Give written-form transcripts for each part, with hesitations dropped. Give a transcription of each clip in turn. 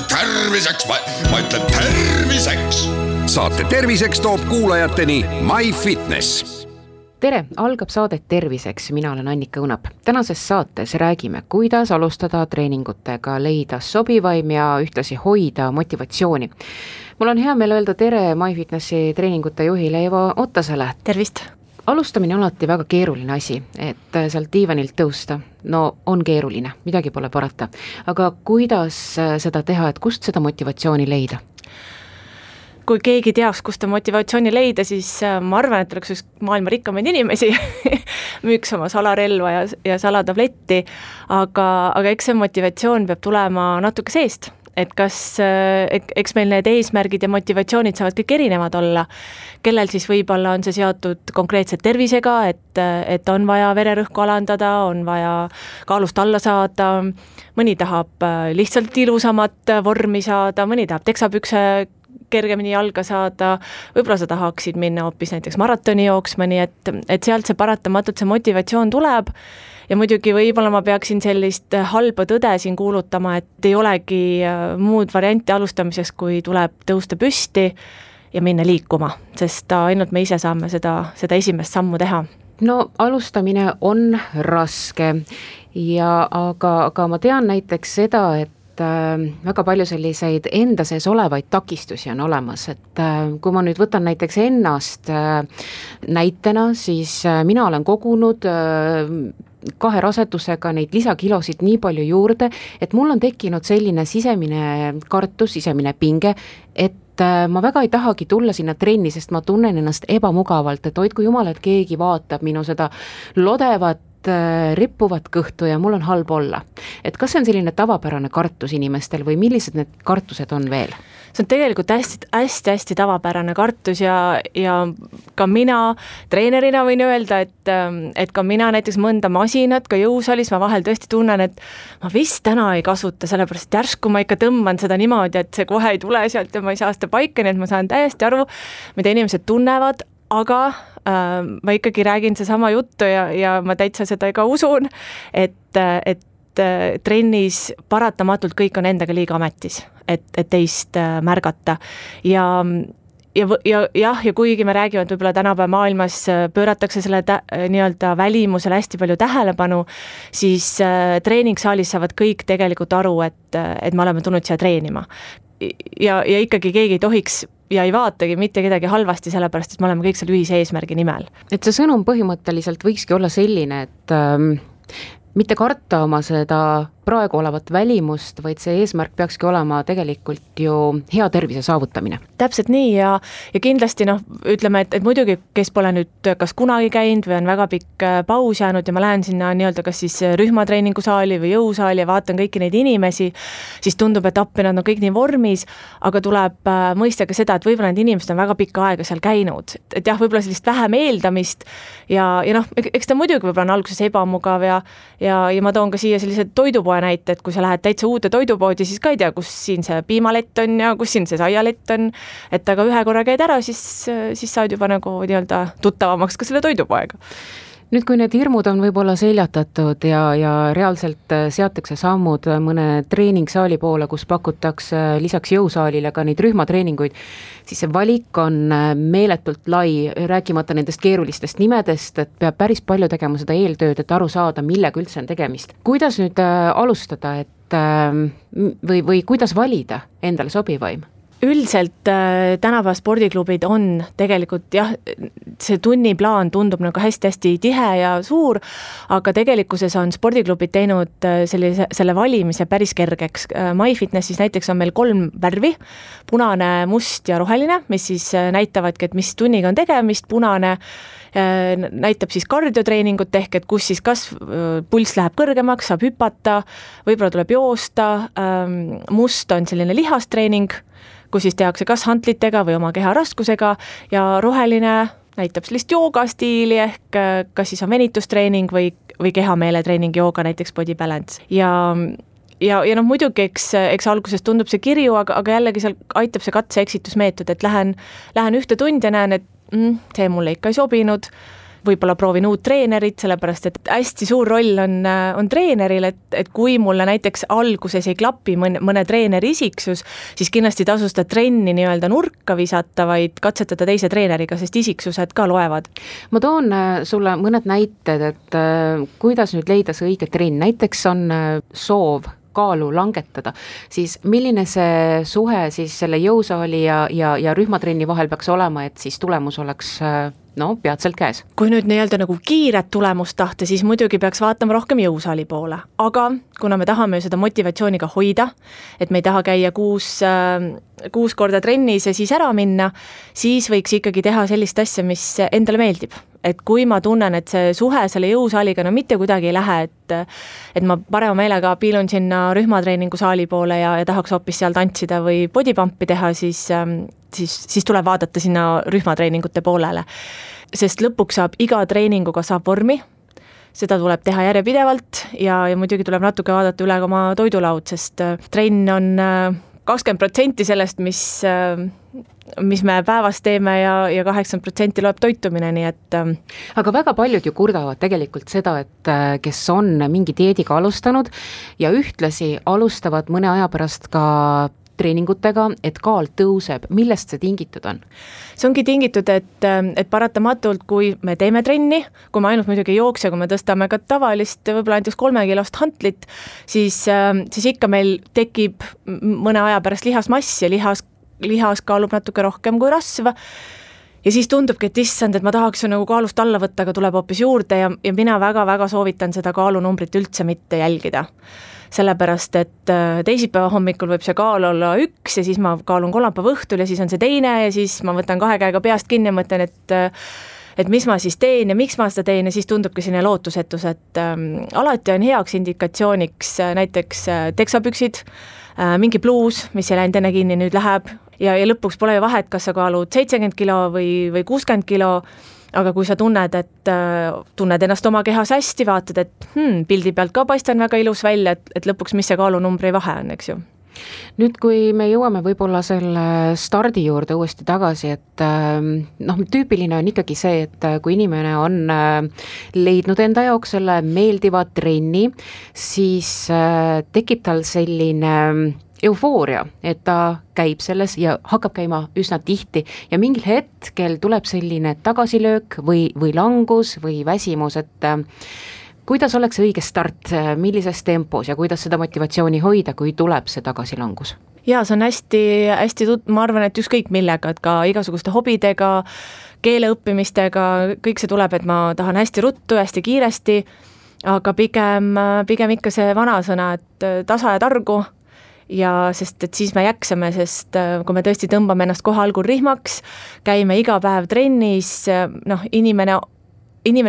Terviseks, ma ütlen terviseks. Saate terviseks toob kuulajateni MyFitness. Tere, algab saadet Terviseks, mina olen Annika Õunap. Tänases saates räägime, kuidas alustada treeningutega, leida sobivaim ja ühtlasi hoida motivatsiooni. Mul on hea meel öelda tere MyFitnessi treeningute juhile Eva Ottasele. Tervist! Alustamine on alati väga keeruline asi, et sealt diivanilt tõusta. No on keeruline, midagi pole parata. Aga kuidas seda teha, et kust seda motivatsiooni leida? Kui keegi teaks, kust motivatsiooni leida, siis ma arvan, et oleks üks maailma rikkamaid inimesi, müüks oma salarelva ja salatabletti, aga eks see motivatsioon peab tulema natuke seest. Et eks meil need eesmärgid ja motivatsioonid saavad kõik erinevad olla, kellel siis võib-olla on see seotud konkreetselt tervisega, et on vaja vererõhku alandada, on vaja kaalust alla saada, mõni tahab lihtsalt ilusamat vormi saada, mõni tahab teksapükse kergemini jalga saada, võib-olla sa tahaksid minna hoopis näiteks maratoni jooksma, nii et sealt see paratamatult see motivatsioon tuleb ja muidugi võib-olla ma peaksin sellist halba tõde siin kuulutama, et ei olegi muud varianti alustamiseks, kui tuleb tõusta püsti ja minna liikuma, sest ainult me ise saame seda esimest sammu teha. No alustamine on raske, aga ma tean näiteks seda, et väga palju selliseid enda sees olevaid takistusi on olemas, et kui ma nüüd võtan näiteks ennast näitena, siis mina olen kogunud 2 rasedusega neid lisakilosid nii palju juurde, et mul on tekkinud selline sisemine kartus, sisemine pinge, et ma väga ei tahagi tulla sinna trenni, sest ma tunnen ennast ebamugavalt, et hoidku jumal, et keegi vaatab minu seda lodevat rippuvat kõhtu ja mul on halb olla. Et kas see on selline tavapärane kartus inimestel või millised need kartused on veel? See on tegelikult hästi tavapärane kartus ja ka mina treenerina võin öelda, et ka mina näiteks mõnda masinat, ka jõusaalis ma vahel tõesti tunnen, et ma vist täna ei kasuta, sellepärast järsku ma ikka tõmban seda niimoodi, et see kohe ei tule sealt ja ma ei saa seda paika, nii et ma saan täiesti aru, mida inimesed tunnevad, aga ma ikkagi räägin seesama juttu ja ma täitsa seda ka usun, et trennis paratamatult kõik on endaga liiga ametis, et teist märgata ja kuigi me räägime, et võib-olla tänapäeva maailmas pööratakse selle nii-öelda välimusele hästi palju tähelepanu, siis treeningsaalis saavad kõik tegelikult aru, et me oleme tulnud siia treenima. Ja ikkagi keegi ei tohiks ja ei vaatagi mitte kedagi halvasti, sellepärast, et me oleme kõik seal ühise eesmärgi nimel. Et see sõnum põhimõtteliselt võikski olla selline, et mitte karta oma seda praegu olevat välimust, vaid see eesmärk peakski olema tegelikult ju hea tervise saavutamine. Täpselt nii ja kindlasti ütleme, et muidugi, kes pole nüüd kas kunagi käinud või on väga pikk paus jäänud ja ma lähen sinna nii-öelda kas siis rühmatreeningusaali või jõusaali ja vaatan kõiki neid inimesi, siis tundub, et appi nad on kõik nii vormis, aga tuleb mõista ka seda, et võib-olla need inimesed on väga pikka aega seal käinud. Et jah, võib-olla sellist vähem eeldamist ja eks ta muidugi võib-olla on alguses ebamugav ja ma toon ka siia sellise toidupoe näite, et kui sa lähed täitsa uude toidupoodi, siis ka ei tea, kus siin see piimalett on ja kus siin see saialett on, et aga ühe korra käid ära, siis saad juba nagu nii-öelda tuttavamaks ka selle toidupoega. Nüüd, kui need hirmud on võib-olla seljatatud ja reaalselt seatakse sammud mõne treeningsaali poole, kus pakutakse lisaks jõusaalile ka neid rühmatreeninguid, siis see valik on meeletult lai, rääkimata nendest keerulistest nimedest, et peab päris palju tegema seda eeltööd, et aru saada, millega üldse on tegemist. Kuidas nüüd alustada, või kuidas valida endale sobivaim? Üldiselt tänapäeva spordiklubid on tegelikult see tunniplaan tundub nagu hästi-hästi tihe ja suur, aga tegelikkuses on spordiklubid teinud selle valimise päris kergeks. MyFitnessis näiteks on meil 3 värvi, punane, must ja roheline, mis siis näitavadki, et mis tunniga on tegemist. Punane näitab siis kardiotreeningut ehk, et kus siis kas pulss läheb kõrgemaks, saab hüpata, võib-olla tuleb joosta. Must on selline lihastreening, kus siis tehakse kas hantlitega või oma keha raskusega ja roheline näitab sellist joogastiili ehk kas siis on venitustreening või kehameeletreening jooga, näiteks body balance. Ja muidugi, eks alguses tundub see kirju, aga jällegi seal aitab see katse-eksitusmeetod, et lähen ühte tundi ja näen, et see mulle ikka ei sobinud, võib-olla proovin uut treenerit, sellepärast et hästi suur roll on treeneril, et kui mulle näiteks alguses ei klapi mõne treeneri isiksus, siis kindlasti tasu seda trenni nii-öelda nurka visata, vaid katsetada teise treeneriga, sest isiksused ka loevad. Ma toon sulle mõned näited, et kuidas nüüd leida see õige trenn, näiteks on soov kaalu langetada, siis milline see suhe siis selle jõusaali ja rühmatrenni vahel peaks olema, et siis tulemus oleks peatselt käes? Kui nüüd nii-öelda nagu kiiret tulemust tahta, siis muidugi peaks vaatama rohkem jõusaali poole, aga kuna me tahame seda motivatsiooniga hoida, et me ei taha käia 6 korda trennis ja siis ära minna, siis võiks ikkagi teha sellist asja, mis endale meeldib. Et kui ma tunnen, et see suhe selle jõusaaliga mitte kuidagi ei lähe, et ma parema meelega piilun sinna rühmatreeningusaali poole ja tahaks hoopis seal tantsida või bodypumpi teha, siis tuleb vaadata sinna rühmatreeningute poolele. Sest lõpuks iga treeninguga saab vormi, seda tuleb teha järjepidevalt ja muidugi tuleb natuke vaadata üle oma toidulaud, sest trenn on 20% sellest, mis me päevas teeme ja 80% loeb toitumine, nii et aga väga paljud ju kurdavad tegelikult seda, et kes on mingi dieediga alustanud ja ühtlasi alustavad mõne aja pärast ka treeningutega, et kaal tõuseb. Millest see tingitud on? See ongi tingitud, et paratamatult, kui me teeme trenni, kui me ainult muidugi jookse, kui me tõstame ka tavalist, võib-olla näiteks 3-kilost hantlit, siis ikka meil tekib mõne aja pärast lihasmass ja lihas kaalub natuke rohkem kui rasv. Ja siis tundubki, et issand, et ma tahaks ju nagu kaalust alla võtta, aga tuleb hoopis juurde ja mina väga-väga soovitan seda kaalunumbrit üldse mitte jälgida. Sellepärast, et teisipäeva hommikul võib see kaal olla 1 ja siis ma kaalun kolmapäeva õhtul ja siis on see teine ja siis ma võtan 2 käega peast kinni ja mõtlen, et mis ma siis teen ja miks ma seda teen ja siis tundubki selline lootusetus, et alati on heaks indikatsiooniks näiteks teksapüksid, mingi pluus, mis ei läinud enne kinni, nüüd läheb ja lõpuks pole ju vahet, kas sa kaalud 70 kilo või 60 kilo, aga kui sa tunned ennast oma kehas hästi, vaatad, et pildi pealt ka paistan väga ilus välja, et lõpuks mis see kaalunumbri vahe on, eks ju. Nüüd, kui me jõuame võib-olla selle stardi juurde uuesti tagasi, et tüüpiline on ikkagi see, et kui inimene on leidnud enda jaoks selle meeldiva trenni, siis tekib tal selline eufooria, et ta käib selles ja hakkab käima üsna tihti ja mingil hetkel tuleb selline tagasilöök või langus või väsimus, et kuidas oleks õige start, millises tempos ja kuidas seda motivatsiooni hoida, kui tuleb see tagasilangus? Jaa, see on hästi ma arvan, et ükskõik millega, et ka igasuguste hobidega, keele õppimistega, kõik see tuleb, et ma tahan hästi ruttu, hästi kiiresti, aga pigem ikka see vanasõna, et tasa ja targu, ja sest et siis me jäksame, sest kui me tõesti tõmbame ennast kohe algul rihmaks, käime iga päev trennis, inimene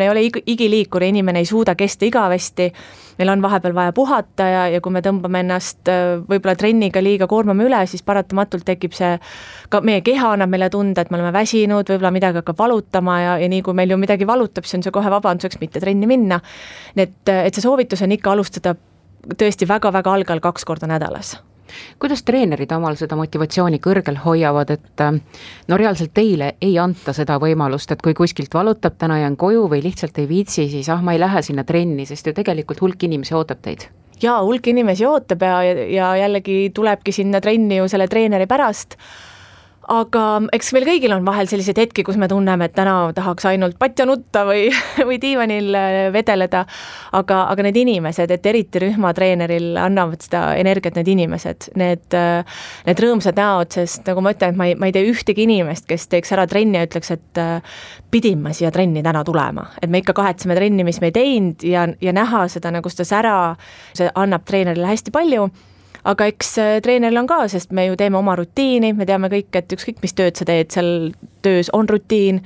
ei ole igiliikur, inimene ei suuda kesta igavesti, meil on vahepeal vaja puhata ja kui me tõmbame ennast võib-olla trenniga liiga koormame üle, siis paratamatult tekib see, ka meie keha annab meile tunda, et me oleme väsinud, võib-olla midagi hakkab valutama ja nii kui meil ju midagi valutab, siis on see kohe vabanduseks mitte trenni minna. Et see soovitus on ikka alustada tõesti väga-väga algal 2 korda nädalas. Kuidas treenerid omal seda motivatsiooni kõrgel hoiavad, et reaalselt teile ei anta seda võimalust, et kui kuskilt valutab, täna jään koju või lihtsalt ei viitsi, siis ma ei lähe sinna trenni, sest ju tegelikult hulk inimesi ootab teid? Jaa, hulk inimesi ootab ja jällegi tulebki sinna trenni ju selle treeneri pärast, aga eks meil kõigil on vahel sellised hetki, kus me tunneme, et täna tahaks ainult patja nutta või diivanil vedeleda, aga need inimesed, et eriti rühmatreeneril annavad seda energiat need inimesed, need rõõmsad näod, sest nagu ma ütlen, et ma ei tee ühtegi inimest, kes teeks ära trenni ja ütleks, et pidin ma siia trenni täna tulema, et me ikka kahetseme trenni, mis me ei teinud ja näha seda nagu seda sära, see annab treenerile hästi palju. Aga eks treeneril on ka, sest me ju teeme oma rutiini, me teame kõik, et ükskõik mis tööd sa teed, seal töös on rutiin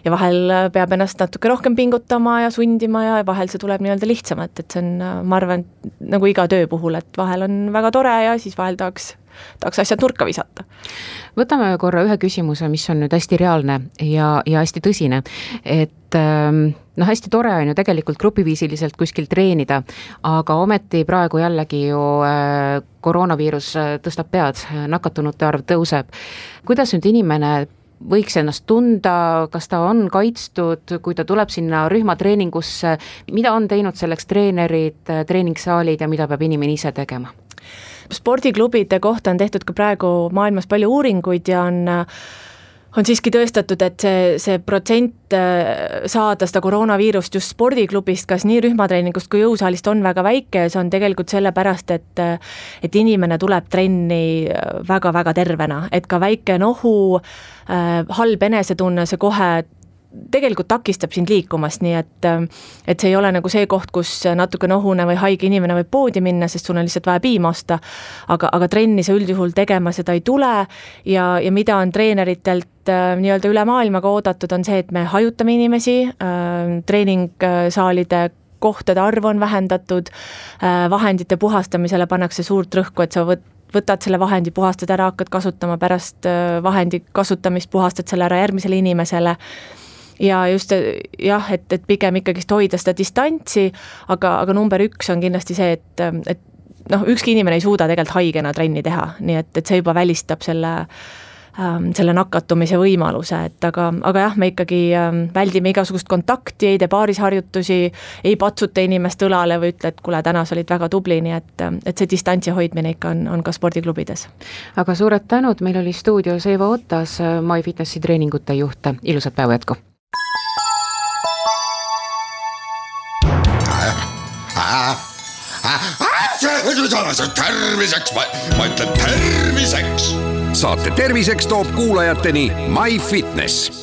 ja vahel peab ennast natuke rohkem pingutama ja sundima ja vahel see tuleb nii-öelda lihtsamalt, et see on, ma arvan, nagu iga töö puhul, et vahel on väga tore ja siis vahel tahaks asjad nurka visata. Võtame korra ühe küsimuse, mis on nüüd hästi reaalne ja hästi tõsine, et hästi tore on ju tegelikult grupiviisiliselt kuskil treenida, aga ometi praegu jällegi ju koroonaviirus tõstab pead, nakatunute arv tõuseb. Kuidas nüüd inimene võiks ennast tunda, kas ta on kaitstud, kui ta tuleb sinna rühmatreeningusse, mida on teinud selleks treenerid, treeningsaalid ja mida peab inimene ise tegema? Spordiklubide kohta on tehtud ka praegu maailmas palju uuringuid ja on siiski tõestatud, et see protsent saada seda koroonaviirust just spordiklubist, kas nii rühmatreeningust kui jõusaalist on väga väike ja see on tegelikult sellepärast, et inimene tuleb trenni väga-väga tervena, et ka väike nohu, halb enesetunne, see kohe tegelikult takistab sind liikumast, nii et see ei ole nagu see koht, kus natuke nohune või haige inimene võib poodi minna, sest sul on lihtsalt vaja piima osta, aga trenni sa üldjuhul tegema seda ei tule ja mida on treeneritelt nii-öelda üle maailmaga oodatud, on see, et me hajutame inimesi, treeningsaalide kohtade arv on vähendatud, vahendite puhastamisele pannakse suurt rõhku, et sa võtad selle vahendi, puhastad ära, hakkad kasutama, pärast vahendi kasutamist puhastad selle ära järgmisele inimesele ja just jah, et pigem ikkagist hoida seda distantsi, aga number 1 on kindlasti see, et ükski inimene ei suuda tegelikult haigena trenni teha, nii et see juba välistab selle nakatumise võimaluse, aga jah, me ikkagi väldime igasugust kontakti, ei tee paarisharjutusi, ei patsuta inimest õlale või ütle, et kuule, täna sa olid väga tubli, nii et see distantsi hoidmine ikka on ka spordiklubides. Aga suured tänud, meil oli stuudios Eva Otas, MyFitnessi treeningute juht, ilusat päeva jätku! Terviseks, ma ütlen terviseks. Saate terviseks toob kuulajateni MyFitness.